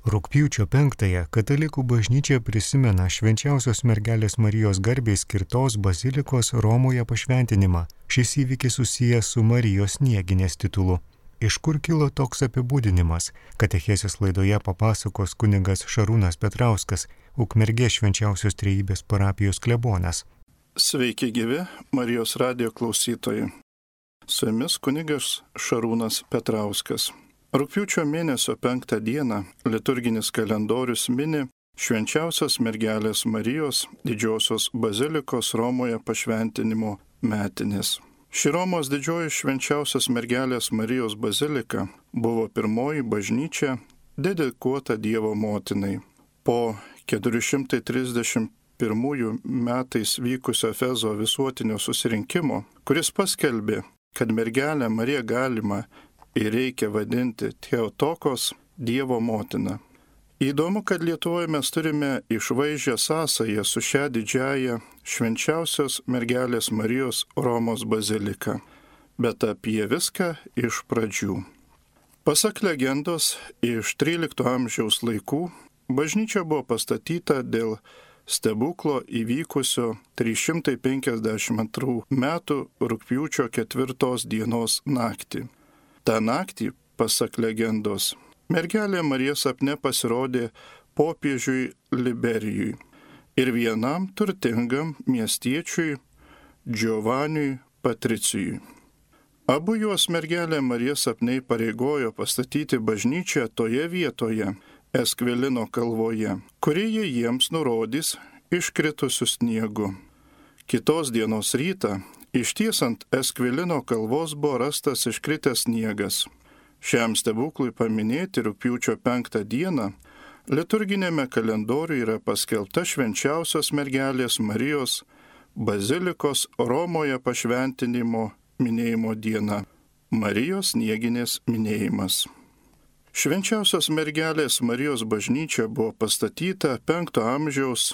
Rugpjūčio 5-ąją katalikų bažnyčia prisimena švenčiausios mergelės Marijos garbei skirtos bazilikos Romoje pašventinimą. Šis įvykis susijęs su Marijos Snieginės titulu. Iš kur kilo toks apibūdinimas? Katechezės laidoje papasakos kunigas Šarūnas Petrauskas, Ukmergės švenčiausios trejybės parapijos klebonas. Sveiki gyvi Marijos radijo klausytojai. Su jumis kunigas Šarūnas Petrauskas. Rugpjūčio mėnesio 5 dieną liturginis kalendorius mini švenčiausios mergelės Marijos didžiosios bazilikos Romoje pašventinimo metinės. Ši Romos didžioji švenčiausios mergelės Marijos bazilika buvo pirmoji bažnyčia dedikuota Dievo motinai. Po 431 metais vykusio Efezo visuotinio susirinkimo, kuris paskelbė, kad mergelę Mariją galima ir reikia vadinti Theotokos, Dievo motina. Įdomu, kad Lietuvoje mes turime išvaizdžią sąsają su šia didžiaja švenčiausios mergelės Marijos Romos bazilika, bet apie viską iš pradžių. Pasak legendos, iš 13 amžiaus laikų bažnyčia buvo pastatyta dėl stebuklo įvykusio 352 metų rugpjūčio 4 dienos naktį. Ta naktį, pasak legendos, mergelė Marija sapne pasirodė popiežiui Liberijui ir vienam turtingam miestiečiui Giovanniui Patricijui. Abu juos mergelė Marija sapnei pareigojo pastatyti bažnyčią toje vietoje, Eskvilino kalvoje, kuri jie jiems nurodys iškritusiu sniegu. Kitos dienos rytą ištiesant Eskvilino kalvos buvo rastas iškritęs sniegas. Šiam stebuklui paminėti rugpjūčio 5 dieną liturginėme kalendoriuje yra paskelbta švenčiausios mergelės Marijos bazilikos Romoje pašventinimo minėjimo diena – Marijos Snieginės minėjimas. Švenčiausios mergelės Marijos bažnyčia buvo pastatyta 5 amžiaus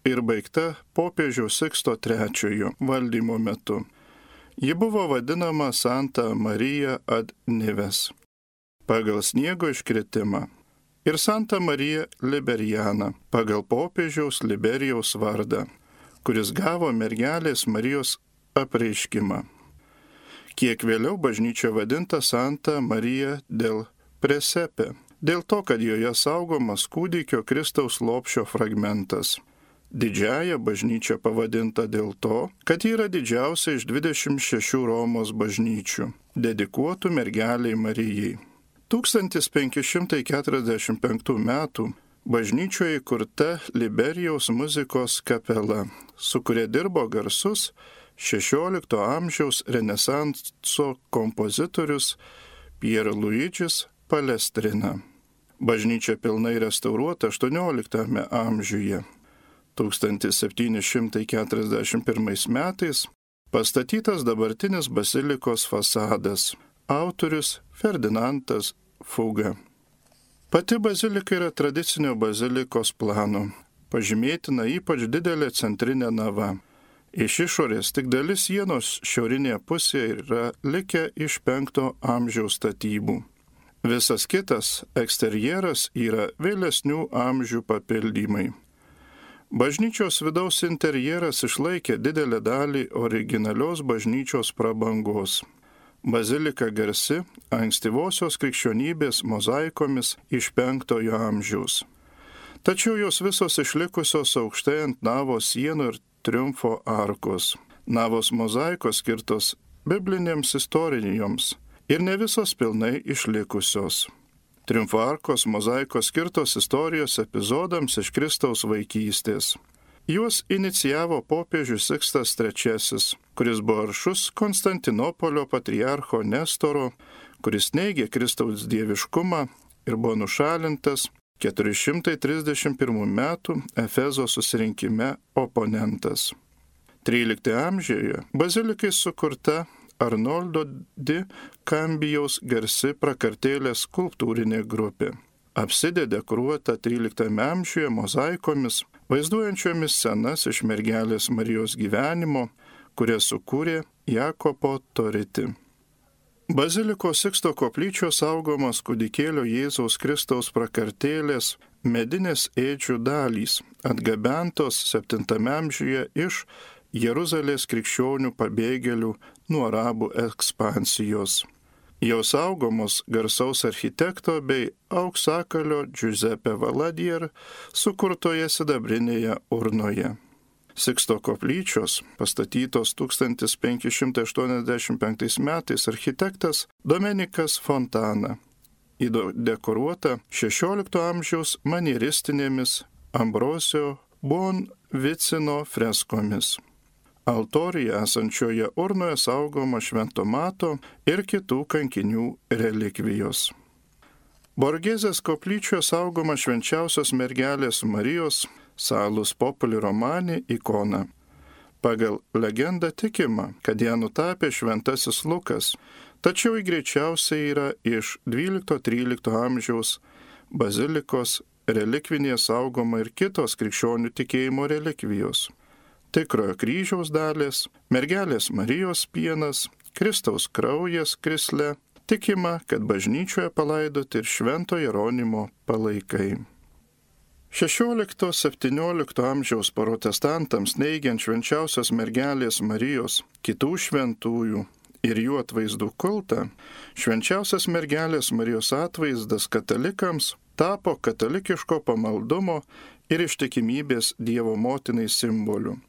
ir baigta popiežiaus Siksto III valdymo metu. Ji buvo vadinama Santa Marija ad Nives pagal sniego iškritimą ir Santa Marija Liberiana pagal popiežiaus Liberijaus vardą, kuris gavo mergelės Marijos apreiškimą. Kiek vėliau bažnyčia vadinta Santa Marija del Presepe, dėl to, kad joje saugomas kūdikio Kristaus lopšio fragmentas. Didžiąja bažnyčia pavadinta dėl to, kad ji yra didžiausia iš 26 Romos bažnyčių, dedikuotų mergeliai Marijai. 1545 metų bažnyčioje įkurta Liberijaus muzikos kapela, su kuria dirbo garsus 16 amžiaus renesanso kompozitorius Pierluidžis Palestrina. Bažnyčia pilnai restauruota 18 amžiuje. 1741 metais pastatytas dabartinis bazilikos fasadas. Autorius Ferdinandas Fuga. Pati bazilika yra tradicinio bazilikos plano. Pažymėtina ypač didelė centrinė nava. Iš išorės tik dalis sienos šiaurinėje pusėje yra likę iš 5 amžiaus statybų. Visas kitas eksterjeras yra vėlesnių amžių papildymai. Bažnyčios vidaus interjeras išlaikė didelę dalį originalios bažnyčios prabangos. Bazilika garsi ankstyvosios krikščionybės mozaikomis iš 5 amžiaus. Tačiau jos visos išlikusios aukštai ant navos sienų ir triumfo arkos. Navos mozaikos skirtos biblinėms istorijoms ir ne visos pilnai išlikusios. Triumfo arkos mozaikos skirtos istorijos epizodams iš Kristaus vaikystės. Juos inicijavo popiežius Sikstas III, kuris buvo aršus Konstantinopolio patriarcho Nestoro, kuris neigė Kristaus dieviškumą ir buvo nušalintas 431 metų Efezo susirinkime oponentas. 13 amžiuje bazilikai sukurta Arnoldo di Cambijaus garsi prakartėlės skulptūrinė grupė. Apsidė dekoruota 13 amžiuje mozaikomis, vaizduojančiomis scenas iš mergelės Marijos gyvenimo, kurias sukūrė Jakopo Toriti. Bazilikos Siksto koplyčios saugomos kūdikėlio Jėzaus Kristaus prakartėlės medinės ėdžių dalys, atgabentos 7 amžiuje iš Jeruzalės krikščionių pabėgėlių nuo arabų ekspansijos. Jos saugomos garsaus architekto bei auksakalio Giuseppe Valadier sukurtoje sidabrinėje urnoje. Siksto koplyčios, pastatytos 1585 metais, architektas Domenikas Fontana, dekoruota 16 amžiaus manieristinėmis Ambrosio Buonvicino freskomis. Altorijoje esančioje urnoje saugoma Švento Mato ir kitų kankinių relikvijos. Borgėzės koplyčioje saugoma švenčiausios mergelės Marijos Salus Populi Romani ikona. Pagal legendą tikima, kad ją nutapė šventasis Lukas, tačiau ji greičiausiai yra iš 12-13 amžiaus bazilikos relikvinėje saugoma ir kitos krikščionių tikėjimo relikvijos. Tikrojo kryžiaus dalys, mergelės Marijos pienas, Kristaus kraujas krisle, tikima, kad bažnyčioje palaidoti ir Švento Jeronimo palaikai. 16-17 amžiaus protestantams neigiant švenčiausios mergelės Marijos, kitų šventųjų ir jų atvaizdų kultą, švenčiausios mergelės Marijos atvaizdas katalikams tapo katalikiško pamaldumo ir ištikimybės Dievo motinai simboliu.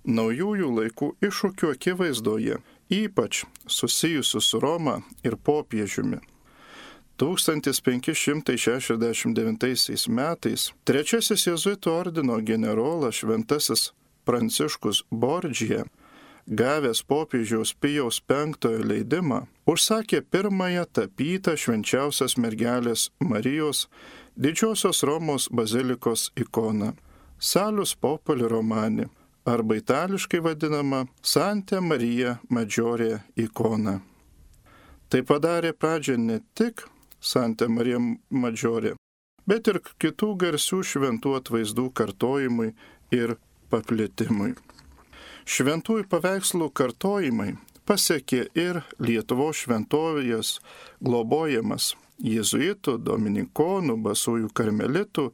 Naujųjų laikų iššūkių akivaizdoje, ypač susijusių su Roma ir popiežiumi. 1569 metais trečiasis jėzuitų ordino generolas šventasis Pranciškus Bordžija, gavęs popiežiaus Pijaus V leidimą, užsakė pirmąją tapytą švenčiausios mergelės Marijos Didžiosios Romos bazilikos ikoną Salus Populi Romani, arba itališkai vadinama Santa Marija Maggiore ikona. Tai padarė pradžią ne tik Santa Marija Maggiore, bet ir kitų garsių šventų atvaizdų kartojimui ir paplitimui. Šventųjų paveikslų kartojimai pasiekė ir Lietuvos šventovės globojamas jėzuitų, dominikonų, basųjų karmelitų,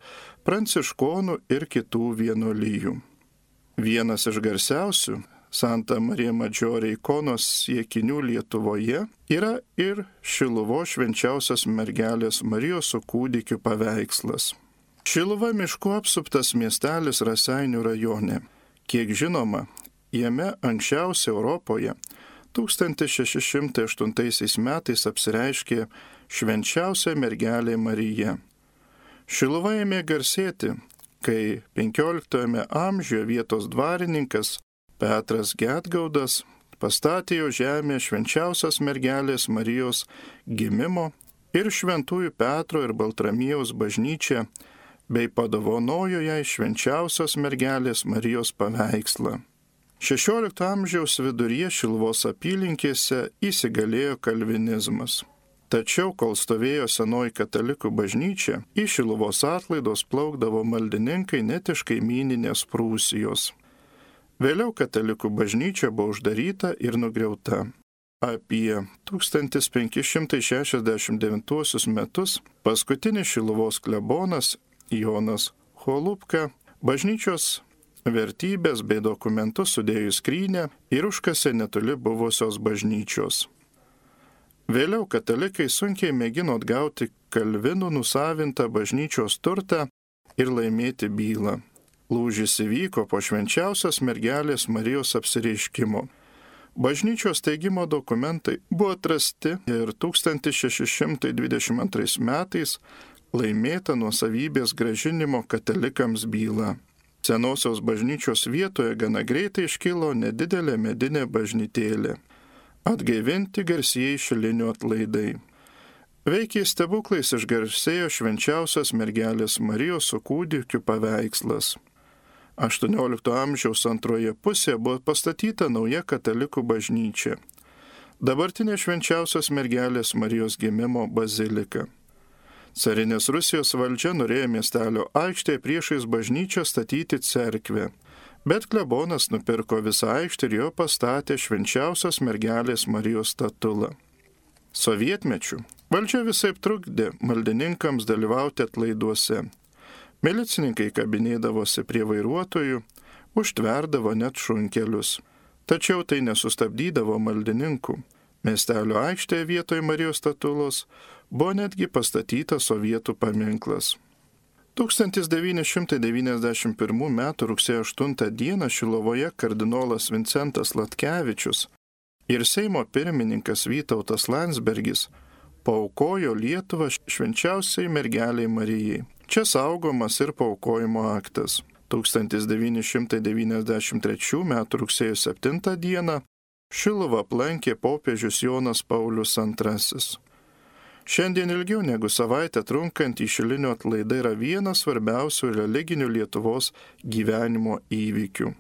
pranciškonų ir kitų vienuolijų. Vienas iš garsiausių Santa Marija Maggiore ikonos siekinių Lietuvoje yra ir Šiluvos švenčiausios mergelės Marijos su kūdikiu paveikslas. Šiluva miškų apsuptas miestelis Raseinių rajone. Kiek žinoma, jame anksčiausiai Europoje 1608 metais apsireiškė švenčiausia mergelė Marija. Šiluva ėmė garsėti, kai 15 amžiuje vietos dvarininkas Petras Gedgaudas pastatė jo žemė švenčiausios mergelės Marijos gimimo ir šventųjų Petro ir Baltramiejaus bažnyčią, bei padovanojo jai švenčiausios mergelės Marijos paveikslą. 16 amžiaus viduryje Šiluvos apylinkėse įsigalėjo kalvinizmas. Tačiau, kol stovėjo senoji katalikų bažnyčia, į Šiluvos atlaidus plaukdavo maldininkai net iš kaimyninės Prūsijos. Vėliau katalikų bažnyčia buvo uždaryta ir nugriauta. Apie 1569 metus paskutinis Šiluvos klebonas Jonas Holubka bažnyčios vertybės bei dokumentus sudėjo į skrynę ir užkasė netoli buvusios bažnyčios. Vėliau katalikai sunkiai mėgino atgauti kalvinų nusavintą bažnyčios turtą ir laimėti bylą. Lūžis įvyko po švenčiausios mergelės Marijos apsireiškimo. Bažnyčios steigimo dokumentai buvo atrasti ir 1622 metais laimėta nuosavybės grąžinimo katalikams byla. Senosios bažnyčios vietoje gana greitai iškilo nedidelė medinė bažnytėlė. Atgaivinti garsieji šilinių atlaidai. Veikiai stebuklais išgarsėjo švenčiausios mergelės Marijos su kūdikiu paveikslas. 18 amžiaus antroje pusėje buvo pastatyta nauja katalikų bažnyčia. Dabartinė švenčiausios mergelės Marijos gimimo bazilika. Carinės Rusijos valdžia norėjo miestelio aikštėje priešais bažnyčią statyti cerkvę, bet klebonas nupirko visą aikštę ir jo pastatė švenčiausios mergelės Marijos statulą. Sovietmečiu valdžia visaip trukdė maldininkams dalyvauti atlaiduose. Milicininkai kabinėdavosi prie vairuotojų, užtverdavo net šunkelius. Tačiau tai nesustabdydavo maldininkų. Miestelio aikštėje vietoj Marijos statulos buvo netgi pastatytas sovietų paminklas. 1991 m. rugsėjo 8 d. Šiluvoje kardinolas Vincentas Latkevičius ir Seimo pirmininkas Vytautas Landsbergis paaukojo Lietuvą švenčiausiai mergeliai Marijai. Čia saugomas ir paaukojimo aktas. 1993 m. rugsėjo 7 d. Šiluvą aplankė popiežius Jonas Paulius II. Šiandien ilgiau negu savaitę trunkantį Šilinio atlaidai yra vienas svarbiausių religinių Lietuvos gyvenimo įvykių.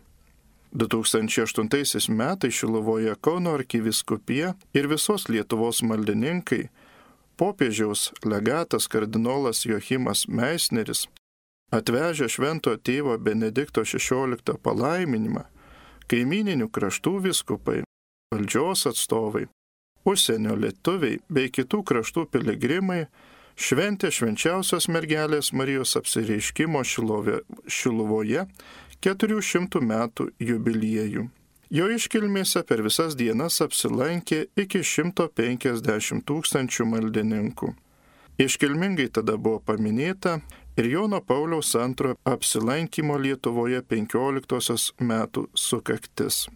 2008 metais Šiluvoje Kauno arkivyskupija ir visos Lietuvos maldininkai, popiežiaus legatas kardinolas Joachimas Meisneris, atvežę šventojo tėvo Benedikto XVI palaiminimą, kaimyninių kraštų vyskupai, valdžios atstovai, užsienio lietuviai bei kitų kraštų piligrimai šventė švenčiausios mergelės Marijos apsireiškimo Šiluvoje 400 metų jubiliejų. Jo iškilmėse per visas dienas apsilankė iki 150 000 maldininkų. Iškilmingai tada buvo paminėta ir Jono Pauliaus II apsilankimo Lietuvoje 15 metų sukaktis.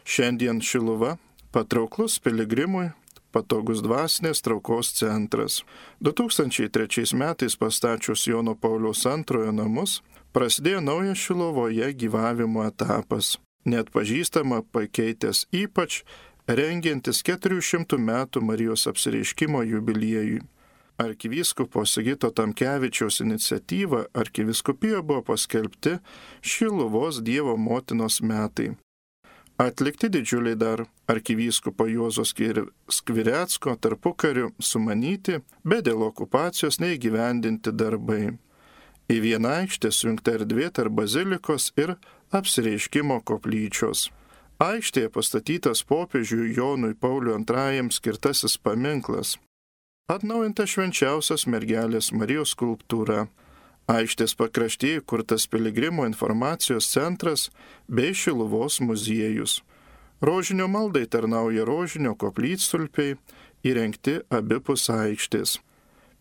Šiandien Šiluva patrauklus piligrimui, patogus dvasinės traukos centras. 2003 metais pastačius Jono Pauliaus II namus, prasidėjo naujas Šiluvoje gyvavimo etapas, net pažįstama pakeitęs ypač rengiantis 400 metų Marijos apsireiškimo jubiliejui. Arkivyskupo Sigito Tamkevičiaus iniciatyva arkivyskupijoje buvo paskelbti Šiluvos Dievo motinos metai. Atlikti didžiuliai dar arkivyskupo Juozo Skvirecko tarpukariu sumanyti, bet dėl okupacijos neįgyvendinti darbai. Į vieną aikštę sujungta erdvė tarp bazilikos ir apsireiškimo koplyčios. Aikštėje pastatytas popiežiui Jonui Pauliui II skirtasis paminklas. Atnaujinta švenčiausios mergelės Marijos skulptūra. Aikštės pakraštyje kurtas piligrimo informacijos centras bei Šiluvos muziejus. Rožinio maldai tarnauja rožinio koplytstulpiai, įrengti abipus aikštės.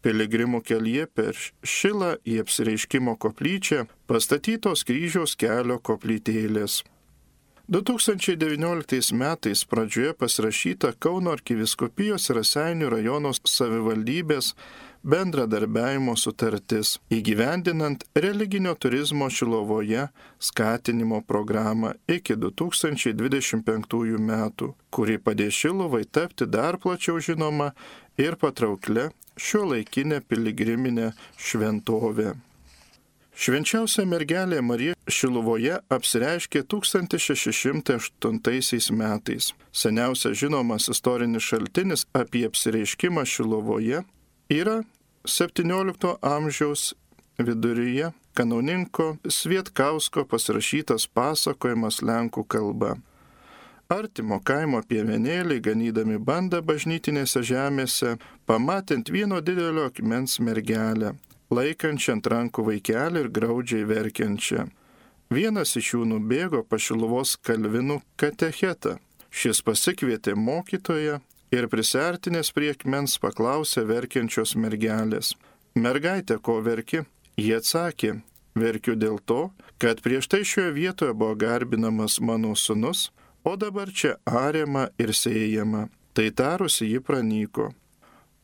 Piligrimų kelyje per Šilą į apsireiškimo koplyčią pastatytos kryžiaus kelio koplytėlės. 2019 metais pradžioje pasirašyta Kauno arkivyskupijos ir Raseinių rajono savivaldybės bendradarbiavimo sutartis, įgyvendinant religinio turizmo Šiluvoje skatinimo programą iki 2025 metų, kuri padės Šiluvai tapti dar plačiau žinoma ir patrauklia šiuolaikinė piligriminė šventovė. Švenčiausia mergelė Marija Šiluvoje apsireiškė 1608 metais. Seniausias žinomas istorinis šaltinis apie apsireiškimą Šiluvoje yra 17 amžiaus viduryje kanauninko Svietkausko pasirašytas pasakojimas lenkų kalba. Artimo kaimo piemenėliai, ganydami bandą bažnytinėse žemėse, pamatint vieno didelio akmens mergelę, laikančią ant rankų vaikelį ir graudžiai verkiančią. Vienas iš jų nubėgo pas Šiluvos kalvinų katechetą. Šis pasikvietė mokytoją ir prisiartinęs prie akmens paklausė verkiančios mergelės: "Mergaitė, ko verki?" Jie atsakė: "Verkiu dėl to, kad prieš tai šioje vietoje buvo garbinamas mano sūnus, o dabar čia ariama ir sėjama." Tai tarusi ji pranyko.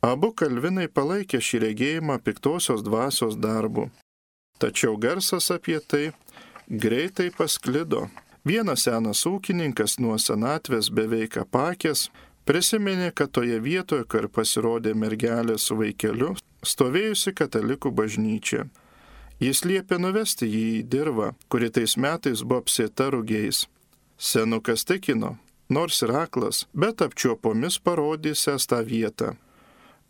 Abu kalvinai palaikė šį regėjimą piktosios dvasios darbu. Tačiau garsas apie tai greitai pasklido. Vienas senas ūkininkas nuo senatvės beveik apakęs prisiminė, kad toje vietoje, kur pasirodė mergelė su vaikeliu, stovėjusi katalikų bažnyčia. Jis liepė nuvesti jį į dirvą, kuri tais metais buvo apsėta rugiais. Senukas tikino, nors ir aklas, bet apčiuopomis parodysęs tą vietą.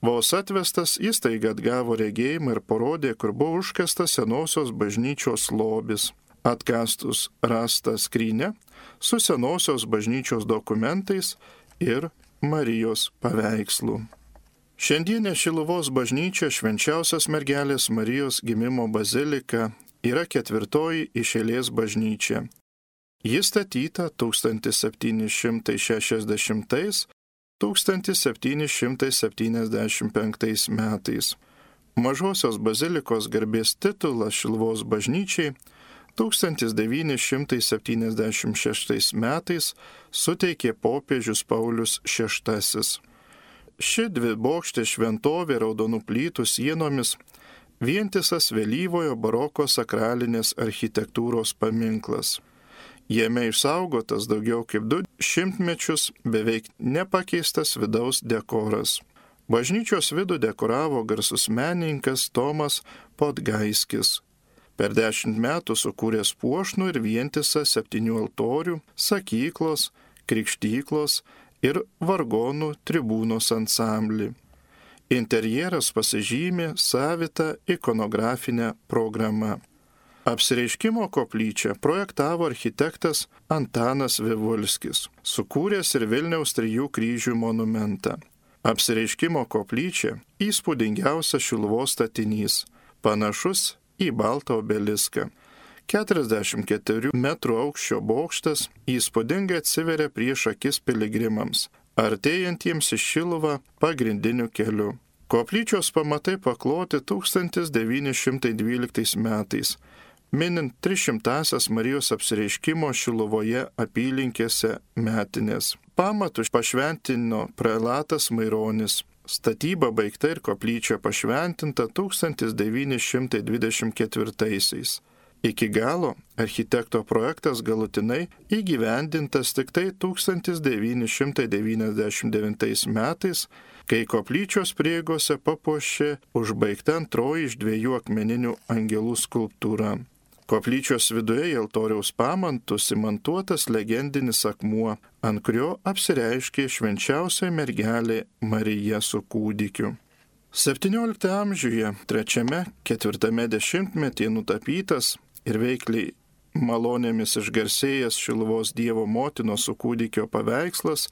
Vos atvestas, jis taiga atgavo regėjimą ir parodė, kur buvo užkastas senosios bažnyčios lobis. Atkastus rastą skrynę su senosios bažnyčios dokumentais ir Marijos paveikslų. Šiandienė Šiluvos bažnyčia Švenčiausios mergelės Marijos gimimo bazilika yra ketvirtoji iš eilės bažnyčia. Ji statyta 1760–1775 metais. Mažosios bazilikos garbės titulas Šiluvos bažnyčiai 1976 metais suteikė popiežius Paulius VI. Ši dvibokštė šventovė raudonų plytų sienomis vientisas vėlyvojo baroko sakralinės architektūros paminklas. Jame išsaugotas daugiau kaip 2 šimtmečius beveik nepakeistas vidaus dekoras. Bažnyčios vidų dekoravo garsus menininkas Tomas Podgaiskis. Per 10 metų sukūręs puošnų ir vientisą 7 altorių, sakyklos, krikštyklos ir vargonų tribūnos ansamblį. Interjeras pasižymė savitą ikonografinę programą. Apsireiškimo koplyčią projektavo architektas Antanas Vivulskis, sukūręs ir Vilniaus 3 kryžių monumentą. Apsireiškimo koplyčia įspūdingiausias Šiluvos statinys, panašus į baltą obeliską. 44 metrų aukščio bokštas įspūdingai atsiveria prieš akis piligrimams, artėjantiems į Šiluvą pagrindiniu keliu. Koplyčios pamatai pakloti 1912 metais, minint 300-asias Marijos apsireiškimo Šiluvoje apylinkėse metinės. Pamatus pašventino prelatas Maironis. Statyba baigta ir koplyčia pašventinta 1924-aisiais. Iki galo architekto projektas galutinai įgyvendintas tik tai 1999 metais, kai koplyčios prieigose papuošė užbaigta antroji iš 2 akmeninių angelų skulptūra. Koplyčios viduje į altoriaus pamantus įmontuotas legendinis akmuo, ant kurio apsireiškė švenčiausia mergelė Marija su kūdikiu. 17 amžiuje 3–4 dešimtmetyje nutapytas ir veikliai malonėmis išgarsėjęs Šiluvos Dievo motinos su kūdikio paveikslas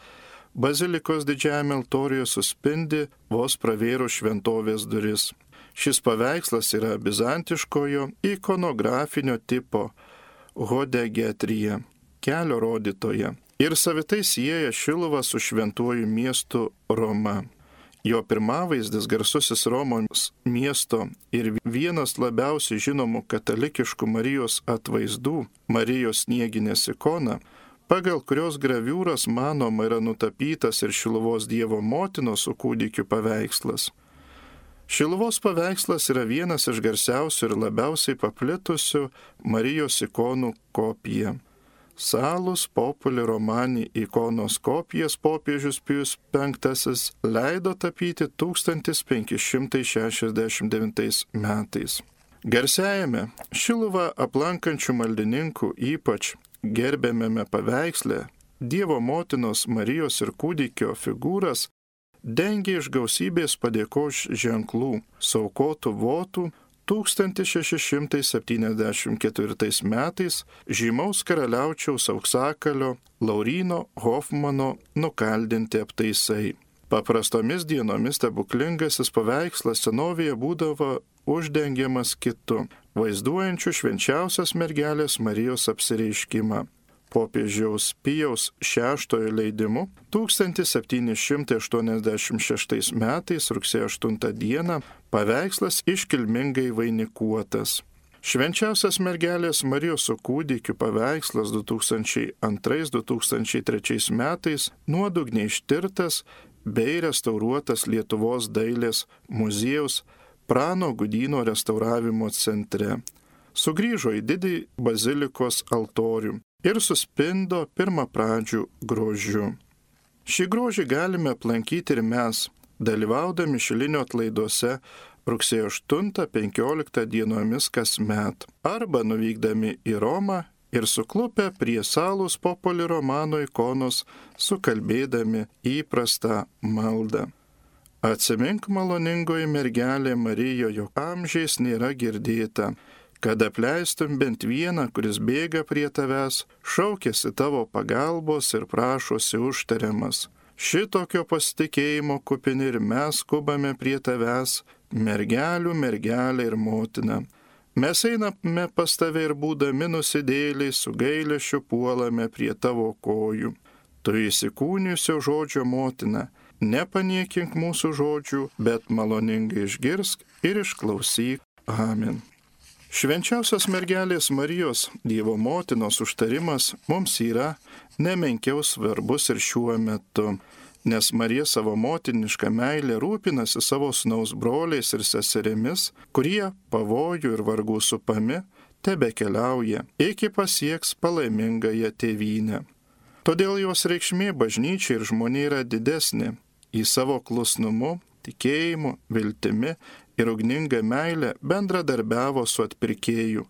bazilikos didžiajame altoriuje suspindi vos pravėrus šventovės duris. Šis paveikslas yra bizantiškojo ikonografinio tipo hodegetrija, kelio rodytoja, ir savitai sieja Šiluvą su šventuoju miestu Roma. Jo pirmavaizdis garsusis Romos miesto ir vienas labiausiai žinomų katalikiškų Marijos atvaizdų, Marijos snieginės ikona, pagal kurios graviūras manoma yra nutapytas ir Šiluvos Dievo motinos su kūdikiu paveikslas. Šiluvos paveikslas yra vienas iš garsiausių ir labiausiai paplitusių Marijos ikonų kopija. Salus Populi Romani ikonos kopijas popiežius Pijus V leido tapyti 1569 metais. Garsiajame Šiluvą aplankančių maldininkų ypač gerbiamame paveiksle Dievo motinos Marijos ir kūdikio figūras dengia iš gausybės padėkos ženklų saukotų votų 1674 metais žymaus karaliaučiaus auksakalio Lauryno Hofmano nukaldinti aptaisai. Paprastomis dienomis stebuklingasis paveikslas senovėje būdavo uždengiamas kitu, vaizduojančiu švenčiausios mergelės Marijos apsireiškimą. Popiežiaus Pijaus VI leidimu 1786 metais rugsėjo 8 dieną paveikslas iškilmingai vainikuotas. Švenčiausios mergelės Marijos su kūdikiu paveikslas 2002–2003 metais nuodugniai ištirtas bei restauruotas Lietuvos dailės muziejaus Prano Gudyno restauravimo centre. Sugrįžo į didį bazilikos altorių ir suspindo pirmapradžių grožiu. Šį grožį galime aplankyti ir mes, dalyvaudami Šilinio atlaiduose rugsėjo 8–15 dienomis kasmet, arba nuvykdami į Romą ir suklupę prie Salus Populi Romano ikonos sukalbėdami įprastą maldą. Atsimink, maloningoji mergelė Marija, jog amžiais nėra girdėta, kad apleistum bent vieną, kuris bėga prie tavęs, šaukėsi tavo pagalbos ir prašosi užtariamas. Šitokio pasitikėjimo kupini ir mes skubame prie tavęs, mergelių mergelė ir motina. Mes einame pas tave ir būdami nusidėliai su gailesčiu puolame prie tavo kojų. Tu įsikūnijusio žodžio motina, nepaniekink mūsų žodžių, bet maloningai išgirsk ir išklausyk. Amen. Švenčiausios mergelės Marijos, Dievo motinos užtarimas mums yra nemenkiau svarbus ir šiuo metu, nes Marija savo motinišką meilę rūpinasi savo sūnaus broliais ir seserimis, kurie pavojų ir vargų supami tebekeliauja, iki pasieks palaimingąją tėvynę. Todėl jos reikšmė bažnyčiai ir žmonė yra didesnė. Į savo klusnumu, tikėjimu, viltimi ir ugninga meilė bendradarbiavo su atpirkėju,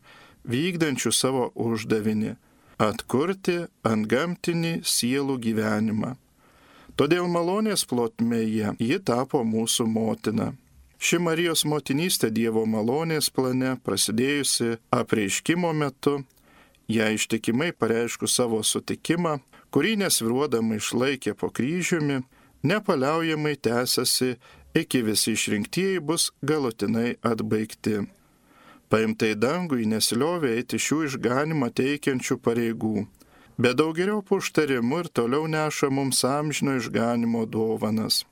vykdančiu savo uždavinį – atkurti antgamtinį sielų gyvenimą. Todėl malonės plotmėje ji tapo mūsų motina. Ši Marijos motinystė Dievo malonės plane, prasidėjusi apreiškimo metu, ją ištikimai pareiškus savo sutikimą, kurį nesviruodama išlaikė po kryžiumi, nepaliaujamai tęsiasi, iki visi išrinktieji bus galutinai atbaigti. Paimtai dangui nesiliovė eiti šių išganimą teikiančių pareigų, bet daugeriopų užtarimų ir toliau neša mums amžino išganimo dovanas.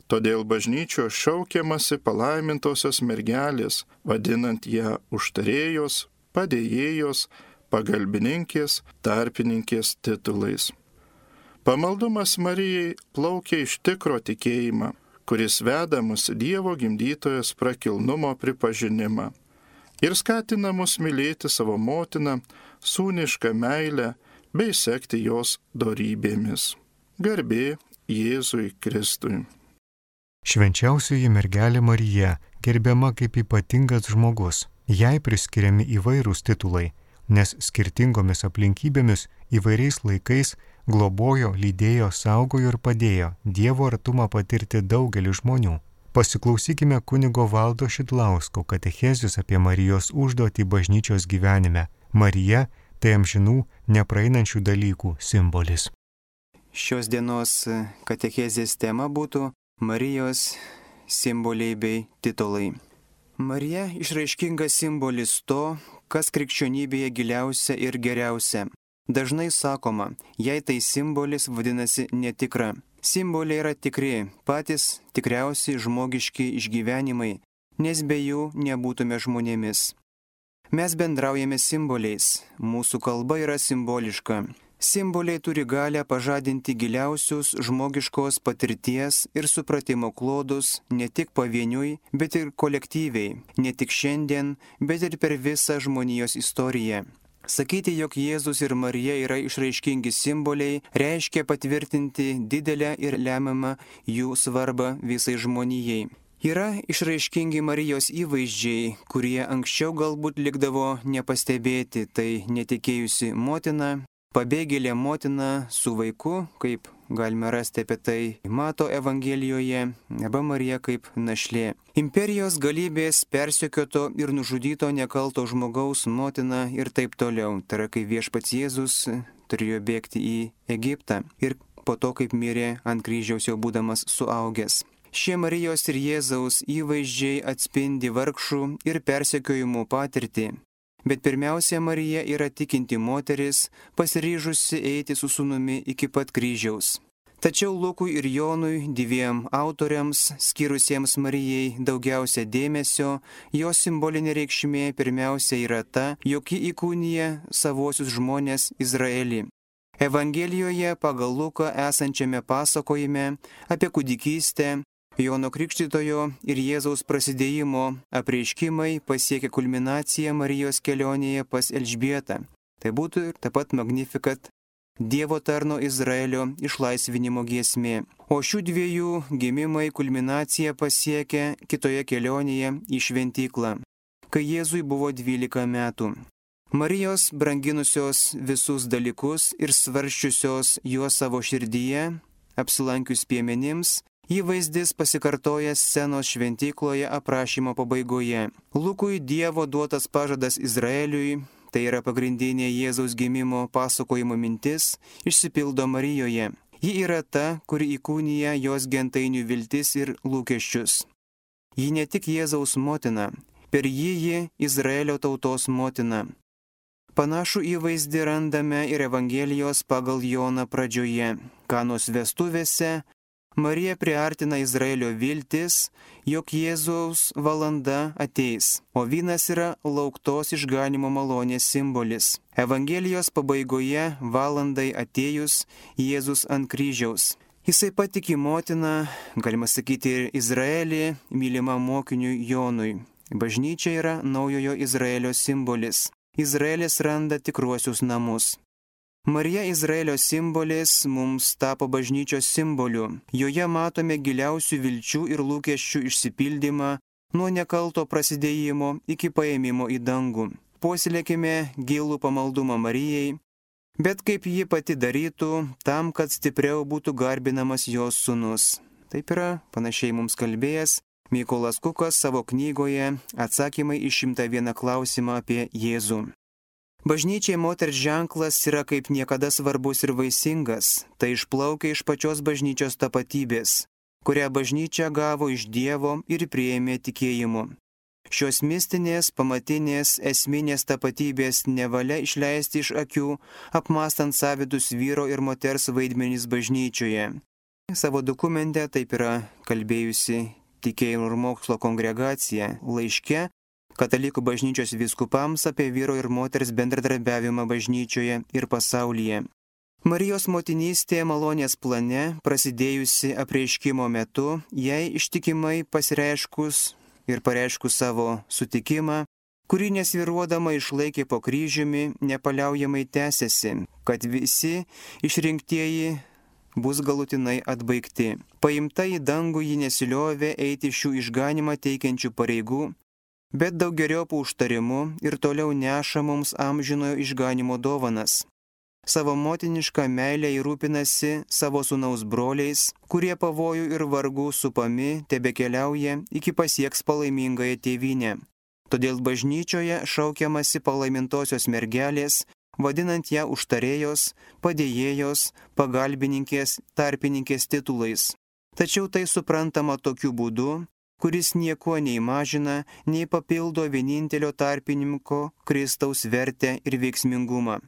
Todėl bažnyčios šaukiamasi palaimintosios mergelės, vadinant ją užtarėjos, padėjėjos, pagalbininkės, tarpininkės titulais. Pamaldumas Marijai plaukia iš tikro tikėjimą, kuris veda mus Dievo gimdytojos prakilnumo pripažinimą ir skatina mus mylėti savo motiną, sūnišką meilę bei sekti jos dorybėmis. Garbė Jėzui Kristui. Švenčiausioji mergelė Marija gerbiama kaip ypatingas žmogus. Jai priskiriami įvairūs titulai, nes skirtingomis aplinkybėmis įvairiais laikais globojo, lydėjo, saugojo ir padėjo Dievo artumą patirti daugelį žmonių. Pasiklausykime kunigo Valdo Šidlausko katechezės apie Marijos užduotį bažnyčios gyvenime. Marija tai amžinų, nepraeinančių dalykų simbolis. Šios dienos katechezės tema būtų Marijos simboliai bei titulai. Marija išraiškingas simbolis to, kas krikščionybėje giliausia ir geriausia. Dažnai sakoma, jei tai simbolis vadinasi netikra. Simboliai yra tikri, patys tikriausiai žmogiški išgyvenimai, nes be jų nebūtume žmonėmis. Mes bendraujame simboliais, mūsų kalba yra simboliška. Simboliai turi galę pažadinti giliausius žmogiškos patirties ir supratimo klodus ne tik pavieniui, bet ir kolektyviai, ne tik šiandien, bet ir per visą žmonijos istoriją. Sakyti, jog Jėzus ir Marija yra išraiškingi simboliai, reiškia patvirtinti didelę ir lemiamą jų svarbą visai žmonijai. Yra išraiškingi Marijos įvaizdžiai, kurie anksčiau galbūt likdavo nepastebėti, tai netikėjusi motina, pabėgėlė motina su vaiku, kaip galime rasti apie tai Mato Evangelijoje, arba Marija kaip našlė. Imperijos galybės persekioto ir nužudyto nekalto žmogaus motina ir taip toliau. Tai yra, kai viešpats Jėzus turėjo bėgti į Egiptą ir po to, kaip mirė ant kryžiaus jau būdamas suaugęs. Šie Marijos ir Jėzaus įvaizdžiai atspindi vargšų ir persekiojimų patirtį. Bet pirmiausia, Marija yra tikinti moteris, pasiryžusi eiti su sūnumi iki pat kryžiaus. Tačiau Lukui ir Jonui, dviem autoriams, skyrusiems Marijai daugiausia dėmesio, jos simbolinė reikšmė pirmiausia yra ta, jog ji įkūnija savuosius žmonės Izraelį. Evangelijoje pagal Luką esančiame pasakojime apie kūdikystę, Jono Krikštytojo ir Jėzaus prasidėjimo apreiškimai pasiekė kulminaciją Marijos kelionėje pas Elžbietą. Tai būtų ir taip pat Magnificat, Dievo tarno Izraelio išlaisvinimo giesmė. O šių dviejų gimimai kulminaciją pasiekė kitoje kelionėje į šventyklą, kai Jėzui buvo 12 metų. Marijos branginusios visus dalykus ir svarsčiusios juos savo širdyje, apsilankius piemenims, įvaizdis pasikartoja scenos šventykloje aprašymo pabaigoje. Lukui Dievo duotas pažadas Izraeliui, tai yra pagrindinė Jėzaus gimimo pasakojimo mintis, išsipildo Marijoje. Ji yra ta, kuri įkūnija jos gentainių viltis ir lūkesčius. Ji ne tik Jėzaus motina, per jį Izraelio tautos motina. Panašų įvaizdį randame ir Evangelijos pagal Joną pradžioje. Kanos vestuvėse Marija priartina Izraelio viltis, jog Jėzaus valanda ateis, o vynas yra lauktos išganimo malonės simbolis. Evangelijos pabaigoje valandai atėjus Jėzus ant kryžiaus. Jisai patiki motiną, galima sakyti, ir Izraelį, mylimą mokiniui Jonui. Bažnyčia yra naujojo Izraelio simbolis. Izraelis randa tikruosius namus. Marija Izraelio simbolis mums tapo bažnyčios simboliu. Joje matome giliausių vilčių ir lūkesčių išsipildymą nuo nekalto prasidėjimo iki paėmimo į dangų. Puoselėkime gilų pamaldumą Marijai, bet kaip ji pati darytų, tam, kad stipriau būtų garbinamas jos sūnus. Taip yra panašiai mums kalbėjęs Mykolas Kukas savo knygoje Atsakymai į 101 klausimą apie Jėzų. Bažnyčiai moters ženklas yra kaip niekada svarbus ir vaisingas. Tai išplaukia iš pačios bažnyčios tapatybės, kurią bažnyčia gavo iš Dievo ir priėmė tikėjimu. Šios mistinės, pamatinės, esminės tapatybės nevalia išleisti iš akių, apmastant savitus vyro ir moters vaidmenys bažnyčioje. Savo dokumente taip yra kalbėjusi Tikėjimo ir mokslo kongregacija laiške Katalikų bažnyčios vyskupams apie vyro ir moters bendradarbiavimą bažnyčioje ir pasaulyje. Marijos motinystė malonės plane, prasidėjusi apreiškimo metu, jai ištikimai pasireiškus ir pareiškus savo sutikimą, kurį nesviruodama išlaikė po kryžiumi, nepaliaujamai tęsiasi, kad visi išrinktieji bus galutinai atbaigti. Paimta į dangų ji nesiliovė eiti šių išganimą teikiančių pareigų, bet daugeriopų užtarimų ir toliau neša mums amžinojo išganimo dovanas. Savo motinišką meilę įrūpinasi savo sūnaus broliais, kurie pavojų ir vargų supami tebekeliauja iki pasieks palaimingąją tėvynę. Todėl bažnyčioje šaukiamasi palaimintosios mergelės, vadinant ją užtarėjos, padėjėjos, pagalbininkės, tarpininkės titulais. Tačiau tai suprantama tokiu būdu, kuris niekuo nei mažina, nei papildo vienintelio tarpininko Kristaus vertę ir veiksmingumą.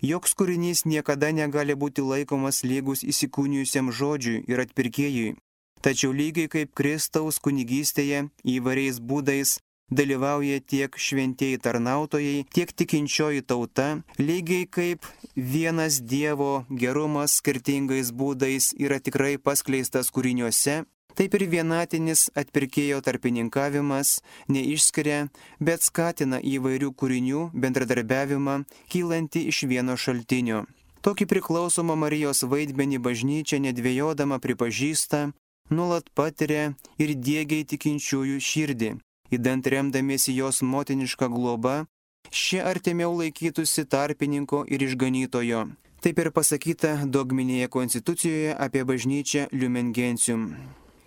Joks kūrinys niekada negali būti laikomas lygus įsikūnijusiam žodžiui ir atpirkėjui. Tačiau lygiai kaip Kristaus kunigystėje įvairiais būdais dalyvauja tiek šventieji tarnautojai, tiek tikinčioji tauta, lygiai kaip vienas Dievo gerumas skirtingais būdais yra tikrai paskleistas kūriniuose, taip ir vienatinis atpirkėjo tarpininkavimas neišskiria, bet skatina įvairių kūrinių bendradarbiavimą, kylantį iš vieno šaltinio. Tokį priklausomą Marijos vaidmenį bažnyčia nedvejodama pripažįsta, nuolat patiria ir diegia tikinčiųjų širdį. Įdant remdamiesi jos motinišką globą, šie artimiau laikytųsi tarpininko ir išganytojo. Taip ir pasakyta dogminėje konstitucijoje apie bažnyčią Lumen Gentium.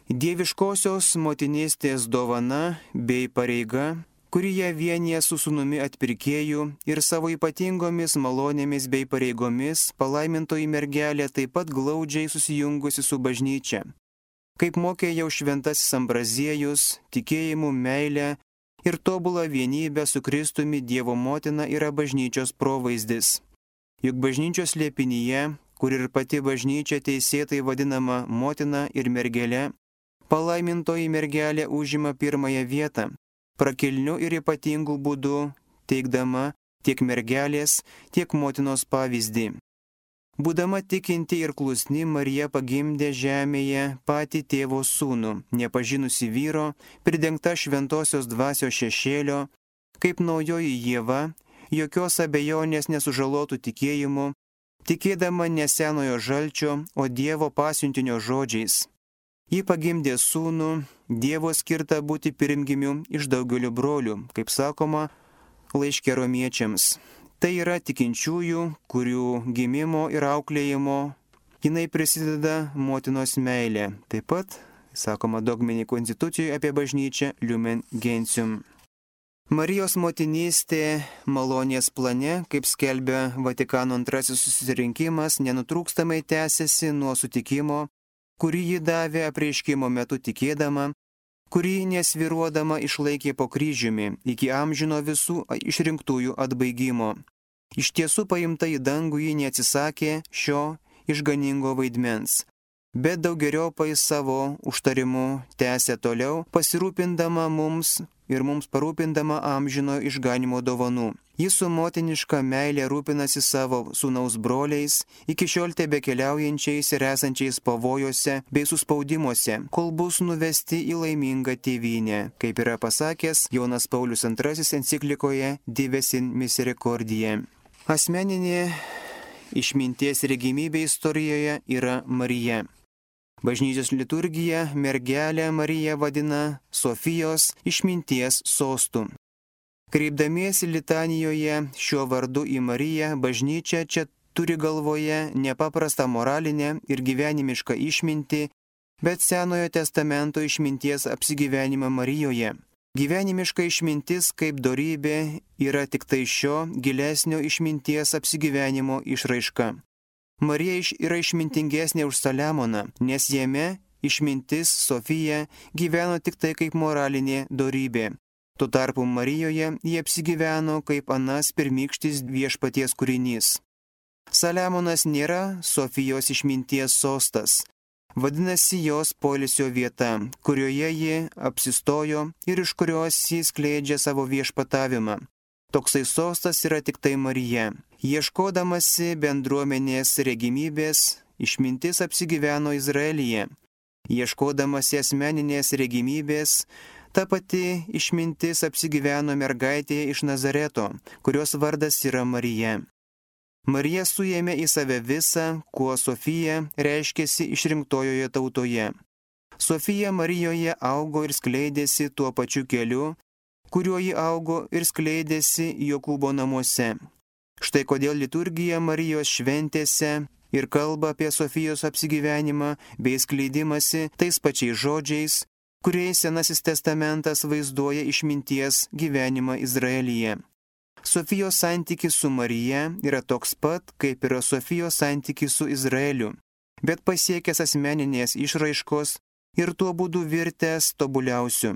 Dieviškosios motinystės dovana bei pareiga, kuri ją vienyje su sūnumi atpirkėju ir savo ypatingomis malonėmis bei pareigomis, palaimintoji mergelė taip pat glaudžiai susijungusi su bažnyčia. Kaip mokė jau šventasis Ambraziejus, tikėjimu, meilę ir tobulą vienybę su Kristumi Dievo motina yra bažnyčios provaizdis. Juk bažnyčios slėpinyje, kur ir pati bažnyčia teisėtai vadinama motina ir mergelė, palaimintoji mergelė užima pirmąją vietą, prakilniu ir ypatingu būdu teikdama tiek mergelės, tiek motinos pavyzdį. Būdama tikinti ir klusni, Marija pagimdė žemėje patį tėvo sūnų, nepažinusi vyro, pridengta šventosios dvasios šešėlio, kaip naujoji Ieva, jokios abejonės nesužalotų tikėjimu, tikėdama ne senojo žalčio, o Dievo pasiuntinio žodžiais. Ji pagimdė sūnų, Dievo skirtą būti pirmgimiu iš daugelio brolių, kaip sakoma laiške Romiečiams. Tai yra tikinčiųjų, kurių gimimo ir auklėjimo jinai prisideda motinos meilė. Taip pat, sakoma dogminėje konstitucijoje apie bažnyčią Lumen Gentium. Marijos motinystė malonės plane, kaip skelbia Vatikano antrasis susirinkimas, nenutrūkstamai tęsiasi nuo sutikimo, kurį ji davė apreiškimo metu tikėdama, kurį nesviruodama išlaikė po kryžiumi iki amžino visų išrinktųjų atbaigimo. Iš tiesų paimta į dangų ji neatsisakė šio išganingo vaidmens, bet daugeriopai savo užtarimu tęsė toliau, pasirūpindama mums ir mums parūpindama amžino išganimo dovanų. Jis su motiniška meilė rūpinasi savo sūnaus broliais, iki šiol tebekeliaujančiais ir esančiais pavojuose bei suspaudimuose, kol bus nuvesti į laimingą tėvynę, kaip yra pasakęs Jonas Paulius II enciklikoje Dives in Misericordiae. Asmeninė išminties regimybė istorijoje yra Marija. Bažnyčios liturgija mergelę Mariją vadina Sofijos išminties sostu. Kreipdamiesi litanijoje šiuo vardu į Mariją, bažnyčia čia turi galvoje nepaprastą moralinę ir gyvenimišką išmintį, bet Senojo testamento išminties apsigyvenimą Marijoje. Gyvenimiška išmintis kaip dorybė yra tik tai šio gilesnio išminties apsigyvenimo išraiška. Marija yra išmintingesnė už Saliamoną, nes jame išmintis Sofija gyveno tik tai kaip moralinė dorybė. Tuo tarpu Marijoje jie apsigyveno kaip anas pirmykštis viešpaties kūrinys. Saliamonas nėra Sofijos išminties sostas, vadinasi jos poilsio vieta, kurioje ji apsistojo ir iš kurios ji skleidžia savo viešpatavimą. Toksai sostas yra tik tai Marija. Ieškodamasi bendruomenės regimybės, išmintis apsigyveno Izraelyje. Ieškodamasi asmeninės regimybės, ta pati išmintis apsigyveno mergaitėje iš Nazareto, kurios vardas yra Marija. Marija suėmė į save visą, kuo Sofija reiškėsi išrinktojoje tautoje. Sofija Marijoje augo ir skleidėsi tuo pačiu keliu, kuriuo ji augo ir skleidėsi Jokūbo namuose. Štai kodėl liturgija Marijos šventėse ir kalba apie Sofijos apsigyvenimą bei skleidimąsi tais pačiais žodžiais, kuriais Senasis testamentas vaizduoja išminties gyvenimą Izraelyje. Sofijos santykis su Marija yra toks pat, kaip yra Sofijos santykis su Izraeliu, bet pasiekęs asmeninės išraiškos ir tuo būdu virtęs tobuliausiu.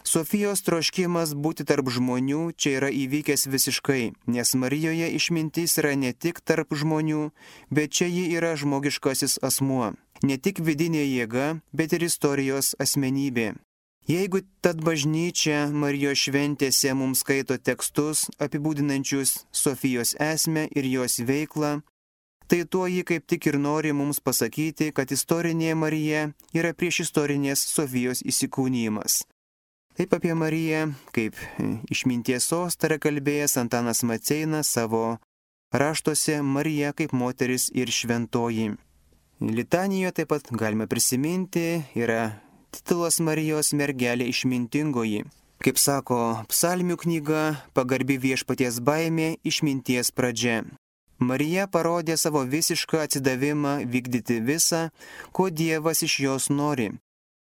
Sofijos troškimas būti tarp žmonių čia yra įvykęs visiškai, nes Marijoje išmintis yra ne tik tarp žmonių, bet čia ji yra žmogiškasis asmuo, ne tik vidinė jėga, bet ir istorijos asmenybė. Jeigu tad bažnyčia Marijos šventėse mums skaito tekstus apibūdinančius Sofijos esmę ir jos veiklą, tai tuo ji kaip tik ir nori mums pasakyti, kad istorinė Marija yra priešistorinės Sofijos įsikūnijimas. Taip apie Mariją, kaip išminties sostą yra kalbėjęs Antanas Maceinas savo raštuose Marija kaip moteris ir šventoji. Litanijoje taip pat galime prisiminti, yra titulas Marijos mergelė išmintingoji. Kaip sako psalmių knyga, pagarbi viešpaties baimė išminties pradžia. Marija parodė savo visišką atsidavimą vykdyti visą, ko Dievas iš jos nori.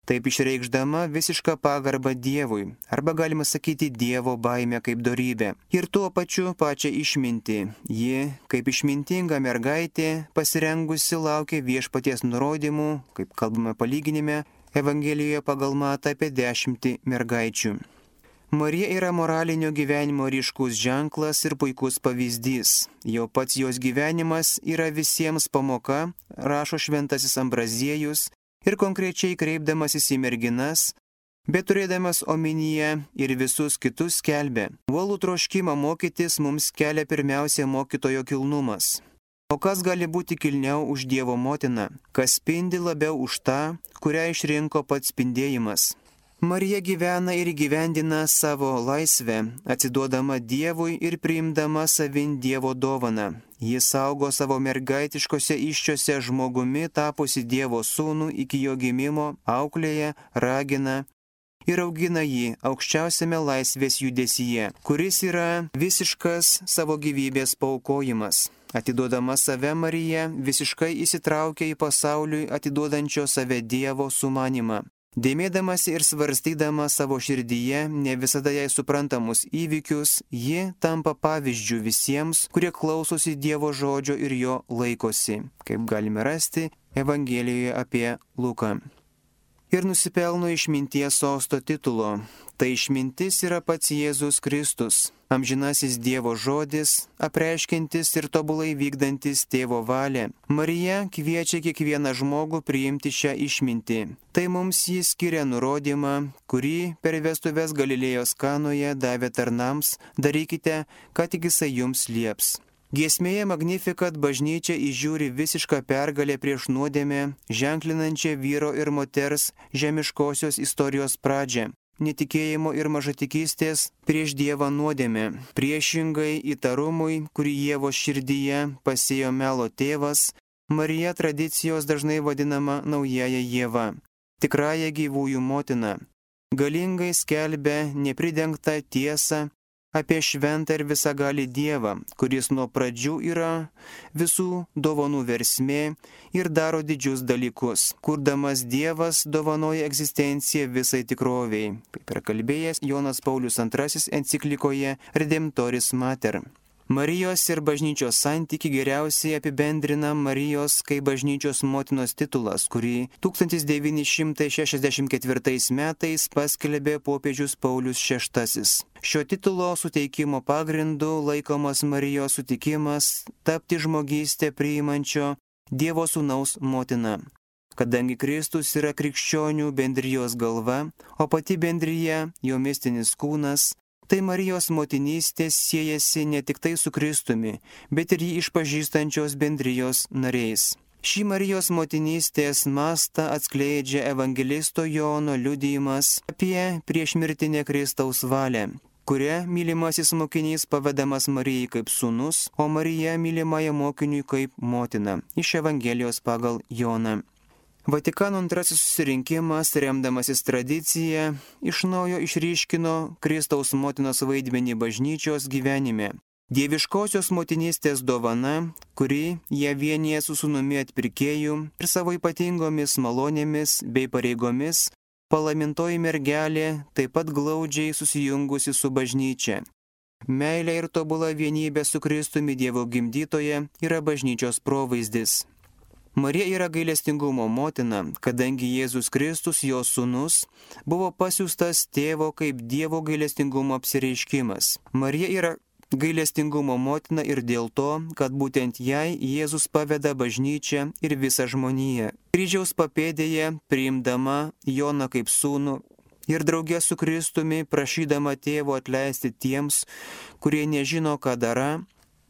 Taip išreikšdama visišką pagarbą Dievui, arba galima sakyti Dievo baimę kaip dorybę. Ir tuo pačiu pačią išmintį. Ji, kaip išmintinga mergaitė, pasirengusi laukė viešpaties nurodymų, kaip kalbame palyginime, Evangelijoje pagal Matą apie 10 mergaičių. Marija yra moralinio gyvenimo ryškus ženklas ir puikus pavyzdys. Jau pats jos gyvenimas yra visiems pamoka, rašo šventasis Ambraziejus, ir konkrečiai kreipdamasis į merginas, bet turėdamas omenyje ir visus kitus skelbė. Uolų troškimą mokytis mums kelia pirmiausia mokytojo kilnumas. O kas gali būti kilniau už Dievo motiną, kas spindi labiau už tą, kurią išrinko pats spindėjimas. Marija gyvena ir įgyvendina savo laisvę, atsiduodama Dievui ir priimdama savin Dievo dovaną. Jis saugo savo mergaitiškose iščiose žmogumi tapusi Dievo sūnų iki jo gimimo, auklėja, ragina ir augina jį aukščiausiame laisvės judesyje, kuris yra visiškas savo gyvybės paaukojimas. Atiduodama save Marija visiškai įsitraukia į pasauliui atiduodančio save Dievo sumanimą. Dėmėdamasi ir svarstydama savo širdyje ne visada jai suprantamus įvykius, ji tampa pavyzdžių visiems, kurie klausosi Dievo žodžio ir jo laikosi, kaip galime rasti Evangelijoje apie Luką. Ir nusipelno išminties sosto titulo. Tai išmintis yra pats Jėzus Kristus, amžinasis Dievo žodis, apreiškiantis ir tobulai vykdantis tėvo valią. Marija kviečia kiekvieną žmogų priimti šią išmintį. Tai mums jis skiria nurodymą, kurį per vestuves Galilėjos Kanoje davė tarnams, darykite, ką tik jisai jums lieps. Giesmėje Magnificat bažnyčia įžiūri visišką pergalę prieš nuodėmę, ženklinančią vyro ir moters žemiškosios istorijos pradžią. Netikėjimo ir mažatikystės prieš Dievą nuodėmę. Priešingai įtarumui, kurį Ievos širdyje pasėjo melo tėvas, Marija tradicijos dažnai vadinama naująja Ieva, tikrąja gyvųjų motina. Galingai skelbia nepridengtą tiesą apie šventą ir visagalį Dievą, kuris nuo pradžių yra visų dovanų versmė ir daro didžius dalykus. Kurdamas Dievas dovanoja egzistenciją visai tikroviai, kaip yra kalbėjęs Jonas Paulius II enciklikoje Redemptoris Mater. Marijos ir bažnyčios santyki geriausiai apibendrina Marijos kaip bažnyčios motinos titulas, kurį 1964 metais paskelbė popiežius Paulius VI. Šio titulo suteikimo pagrindu laikomas Marijos sutikimas tapti žmogystę priimančio Dievo Sūnaus motina. Kadangi Kristus yra krikščionių bendrijos galva, o pati bendrija jo mistinis kūnas, tai Marijos motinystės siejasi ne tik tai su Kristumi, bet ir jį išpažįstančios bendrijos nariais. Šį Marijos motinystės mastą atskleidžia evangelisto Jono liudijimas apie priešmirtinę Kristaus valią, kuria mylimasis mokinys pavedamas Marijai kaip sūnus, o Marija mylimąją mokiniui kaip motina, iš Evangelijos pagal Joną. Vatikano antrasis susirinkimas, remdamasis tradicija, iš naujo išryškino Kristaus motinos vaidmenį bažnyčios gyvenime. Dieviškosios motinystės dovana, kuri ją vienyje su sūnumi atpirkėju ir savo ypatingomis malonėmis bei pareigomis, palaimintoji mergelė taip pat glaudžiai susijungusi su bažnyčia. Meilė ir tobula vienybė su Kristumi Dievo gimdytoje yra bažnyčios provaizdis. Marija yra gailestingumo motina, kadangi Jėzus Kristus, jos sūnus, buvo pasiųstas tėvo kaip Dievo gailestingumo apsireiškimas. Marija yra gailestingumo motina ir dėl to, kad būtent jai Jėzus paveda bažnyčią ir visą žmoniją. Kryžiaus papėdėje, priimdama Joną kaip sūnų ir drauge su Kristumi prašydama tėvo atleisti tiems, kurie nežino, ką dara,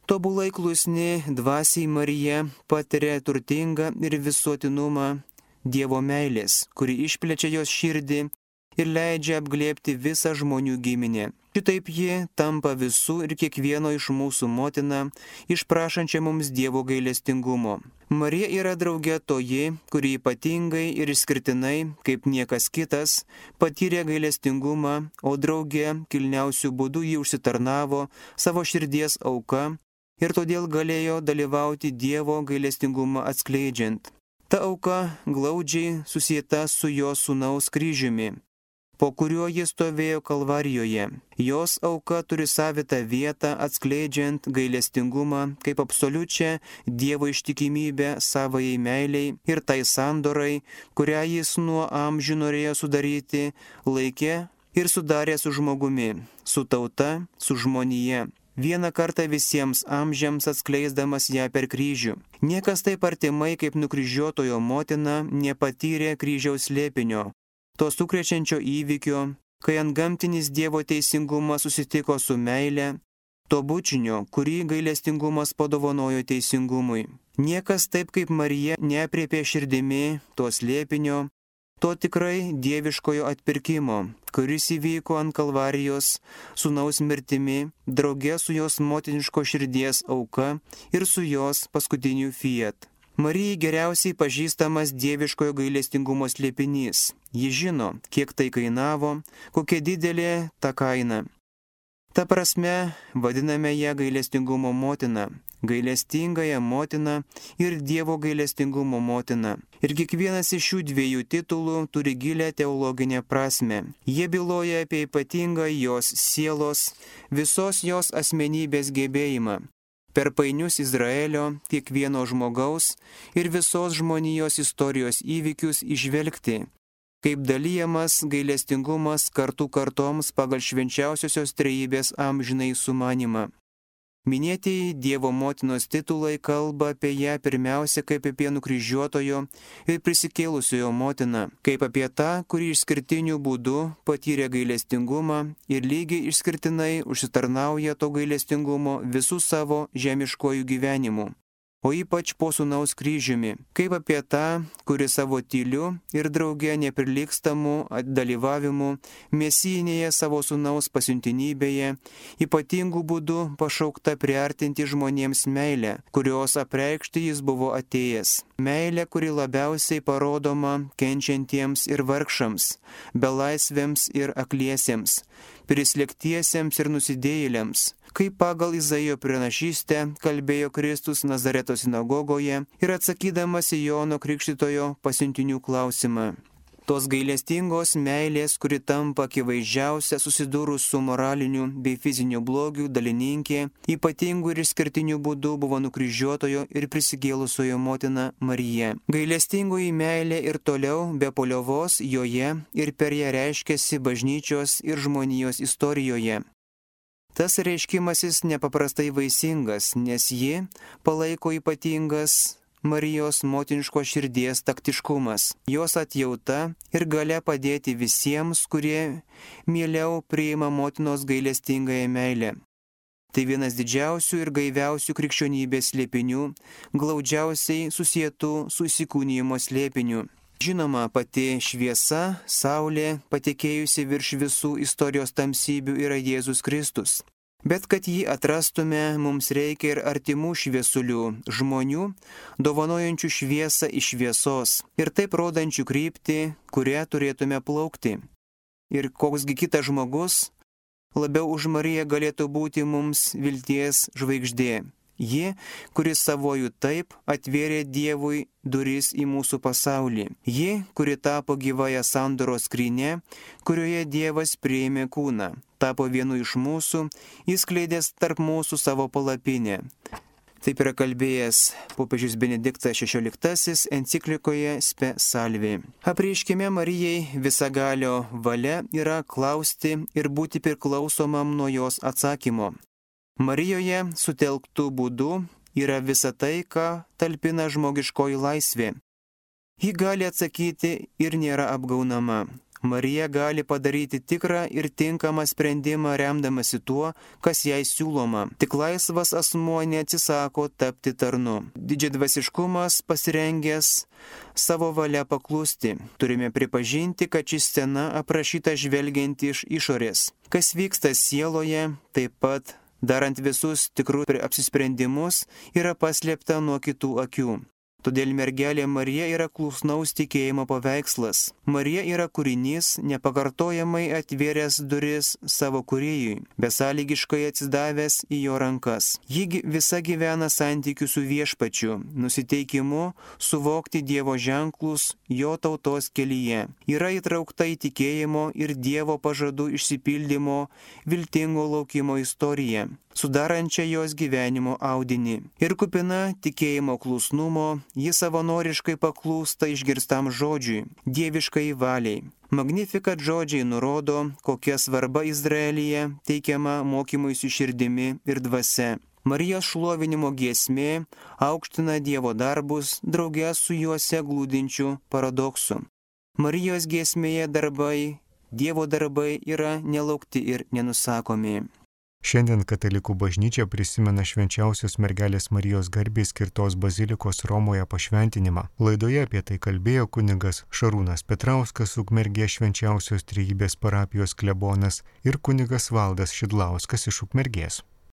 tobulai klusni dvasiai Marija patiria turtingą ir visuotinumą Dievo meilės, kuri išplečia jos širdį ir leidžia apglėbti visą žmonių giminę. Šitaip ji tampa visų ir kiekvieno iš mūsų motina, išprašančia mums Dievo gailestingumo. Marija yra drauge toji, kuri ypatingai ir išskirtinai, kaip niekas kitas, patyrė gailestingumą, o drauge kilniausių būdų ji užsitarnavo savo širdies auka, ir todėl galėjo dalyvauti Dievo gailestingumą atskleidžiant. Ta auka glaudžiai susieta su jo sūnaus kryžiumi, po kuriuo jis stovėjo Kalvarijoje. Jos auka turi savitą vietą atskleidžiant gailestingumą kaip absoliučią Dievo ištikimybę savajai meiliai ir tai sandorai, kurią jis nuo amžių norėjo sudaryti laike ir sudarė su žmogumi, su tauta, su žmonija. Vieną kartą visiems amžiams atskleisdamas ją per kryžių. Niekas taip artimai kaip nukryžiuotojo motina nepatyrė kryžiaus slėpinio, to sukrečiančio įvykio, kai antgamtinis Dievo teisingumas susitiko su meile, to bučinio, kurį gailestingumas padovanojo teisingumui. Niekas taip kaip Marija neapriepė širdimi to slėpinio, to tikrai dieviškojo atpirkimo, kuris įvyko ant Kalvarijos sūnaus mirtimi, drauge su jos motiniško širdies auka ir su jos paskutiniu fiat. Marijai geriausiai pažįstamas dieviškojo gailestingumo slėpinys. Ji žino, kiek tai kainavo, kokia didelė ta kaina. Ta prasme, vadiname ją gailestingumo motina, gailestingąją motiną ir Dievo gailestingumo motiną. Ir kiekvienas iš šių dviejų titulų turi gilę teologinę prasme. Jie byloja apie ypatingą jos sielos, visos jos asmenybės gebėjimą per painius Izraelio, kiekvieno žmogaus ir visos žmonijos istorijos įvykius įžvelgti, kaip dalyjamas gailestingumas kartoms pagal švenčiausiosios trejybės amžinai sumanimą. Minėtieji Dievo motinos titulai kalba apie ją pirmiausia kaip apie nukryžiuotojo ir prisikėlusiojo motiną, kaip apie tą, kuri išskirtiniu būdu patyrė gailestingumą ir lygiai išskirtinai užsitarnauja to gailestingumo visų savo žemiškojų gyvenimų, o ypač po sūnaus kryžiumi, kaip apie tą, kuri savo tyliu ir drauge neprilygstamu dalyvavimu mesijinėje savo sūnaus pasiuntinybėje ypatingų būdų pašaukta priartinti žmonėms meilę, kurios apreikšti jis buvo atėjęs. Meilė, kuri labiausiai parodoma kenčiantiems ir vargšams, belaisvėms ir akliesiems, prislėgtiesiems ir nusidėjėliams, kaip pagal Izaijo pranašystę kalbėjo Kristus Nazareto sinagogoje ir atsakydamas į Jono Krikštytojo pasiuntinių klausimą. Tos gailestingos meilės, kuri tampa akivaizdžiausia susidūrus su moraliniu bei fiziniu blogiu dalininkė, ypatingų ir išskirtinių būdų buvo nukryžiuotojo ir prisikėlusiojo motina Marija. Gailestingoji meilė ir toliau be paliovos joje ir per ją reiškiasi bažnyčios ir žmonijos istorijoje. Tas reiškimasis nepaprastai vaisingas, nes ji palaiko ypatingas Marijos motiniškos širdies taktiškumas, jos atjauta ir galia padėti visiems, kurie mieliau priima motinos gailestingąją meilę. Tai vienas didžiausių ir gaiviausių krikščionybės slėpinių, glaudžiausiai susietų su įsikūnijimo slėpiniu. Žinoma, pati šviesa, saulė, patekėjusi virš visų istorijos tamsybių yra Jėzus Kristus. Bet kad jį atrastume, mums reikia ir artimų šviesulių, žmonių, dovanojančių šviesą iš šviesos ir taip rodančių kryptį, kurią turėtume plaukti. Ir koksgi kitas žmogus labiau už Mariją galėtų būti mums vilties žvaigždė. Ji, kuris savojų taip atvėrė Dievui duris į mūsų pasaulį. Ji, kuri tapo gyvąją sandoros skryne, kurioje Dievas priėmė kūną, tapo vienu iš mūsų, įskleidęs tarp mūsų savo palapinę. Taip yra kalbėjęs popiežius Benediktas XVI enciklikoje Spe Salvi. Apreiškime Marijai visagalio valia yra klausti ir būti priklausomam nuo jos atsakymo. Marijoje sutelktų būdu yra visa tai, ką talpina žmogiškoji laisvė. Ji gali atsakyti ir nėra apgaunama. Marija gali padaryti tikrą ir tinkamą sprendimą remdamasi tuo, kas jai siūloma. Tik laisvas asmuo neatsisako tapti tarnu. Didžiadvasiškumas pasirengęs savo valia paklusti. Turime pripažinti, kad ši scena aprašyta žvelgiant iš išorės. Kas vyksta sieloje, taip pat darant visus tikrus apsisprendimus, yra paslėpta nuo kitų akių. Todėl mergelė Marija yra klusnaus tikėjimo paveikslas. Marija yra kūrinys, nepakartojamai atvėręs duris savo kūrėjui, besąlygiškai atsidavęs į jo rankas. Ji visa gyvena santykių su viešpačiu, nusiteikimu suvokti Dievo ženklus jo tautos kelyje. Yra įtraukta į tikėjimo ir Dievo pažadų išsipildymo viltingo laukimo istoriją, sudarančią jos gyvenimo audinį. Ir kupina tikėjimo klusnumo, ji savanoriškai paklūsta išgirstam žodžiui, dieviškai valiai. Magnificat žodžiai nurodo, kokia svarba Izraelyje teikiama mokymuisi širdimi ir dvasia. Marijos šlovinimo giesmė aukština Dievo darbus drauge su juose glūdinčiu paradoksu. Marijos giesmėje darbai, Dievo darbai yra nelaukti ir nenusakomi. Šiandien katalikų bažnyčia prisimena švenčiausios mergelės Marijos garbei skirtos bazilikos Romoje pašventinimą. Laidoje apie tai kalbėjo kunigas Šarūnas Petrauskas, Ukmergės švenčiausios trejybės parapijos klebonas ir kunigas Valdas Šidlauskas iš Ukmergės.